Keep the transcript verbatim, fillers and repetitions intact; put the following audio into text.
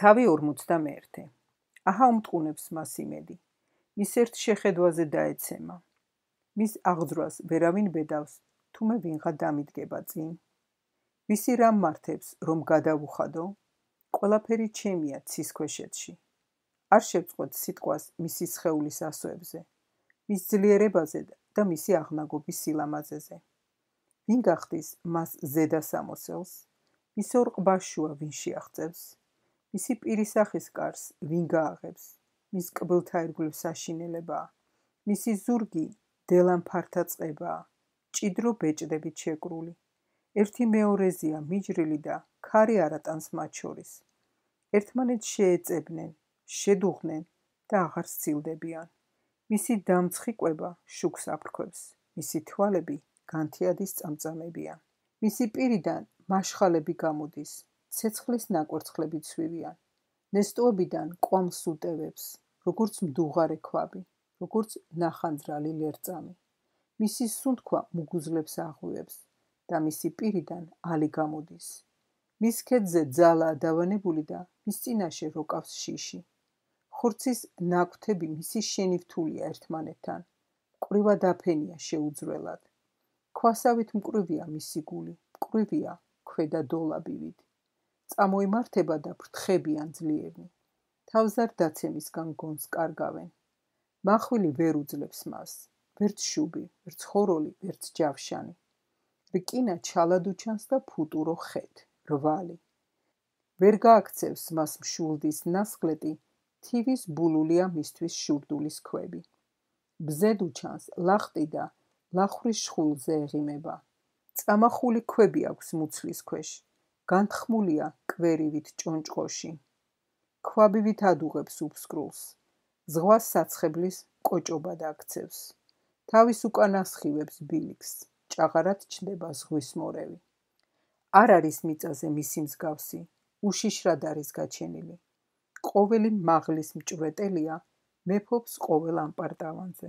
თავი ორმოცდამეერთე. აჰა უმტყუნებს მას იმედი. მის ერთ შეხედვაზე დაეცემა. მის აღძვრას ვერავინ ბედავს, თუმე ვინღა დამიდგება წინ. ვისი რამ მართებს, რომ გადავუხადო? ყველაფერი ჩემია ცის ქვეშეთში. არ შევწყვეთ სიტყვას მისი სხეულის ასოებზე, მის ძლიერებაზე და მისი აღნაგობის სილამაზეზე. ვინ გახდის მას ზედა სამოსელს? მის ორ ყბაშუა ვინ შეაღწევს? მისი პირისახის კარს ვინ გააღებს? მის კბილთა ირგვლივ საშინელებაა. მისი ზურგი დელამფართა წყებაა, ჭიდრო ბეჭდებით შეკრული. ერთი მეორეზეა მიჯრილი და ქარი არატანს მათ შორის. ერთმანეთს შეეწებნენ, შედუღნენ და აღარ სცილდებიან. მისი დამცხი კვება შუქს აფრქვევს, მისი თვალები განთიადის წამწამებიან. მისი პირიდან მაშხალები გამოდის, ცეცხლის ნაკვერცხლები ცვივიან. ნესტოებიდან კვამს უტევებს, როგორც მდუღარე ქვაბი, როგორც ნახანძრალი ლერწამი. მისი სუნთქვა მუგუზლებს აღვივებს და მისი პირიდან ალი გამოდის. მის ქედზე ძალაა დავანებული და მის წინაშე როკავს შიში. ხორცის ნაკვთები მისი შენივთულია ერთმანეთთან, მკვრივად დაფენია შეუძრველად. ქვასავით მკვრივია მისი გული, მკვრივია ქვედა დოლაბივით. წამოიმართება და ფრთხებიან ძლიერნი. თავზარ დაცემისგან გონს კარგავენ. მახვილი ვერ უძლებს მას, ვერც შუბი, ვერც ხოროლი, ვერც ჯავშანი. რკინა ჩალად უჩანს და ფუტურო ხეთ, რვალი. ვერ გააქცევს მას მშულდის ნასხლეტი, თივის ბულულია მისთვის შურდულის ქვები. ბზედ უჩანს ლახტი და ლახვრის შხულზე ეღიმება. წამახული ქვები აქვს მუცლის ქვეშ, განთხმულია კვერივით ჭონჭყოში. ქვაბივით ადუღებს უფსკრულს, ზღვას საცხებლის კოჭობად აქცევს. თავის უკან ასხივებს ბილიქს, ჭაღარად ჩნდება ზღვის მორევი. არ არის მიწაზე მისი მსგავსი, უშიშრად არის გაჩენილი. ყოველი მაღლის მჭვრეტელია, მეფობს ყოველ ამპარტავანზე.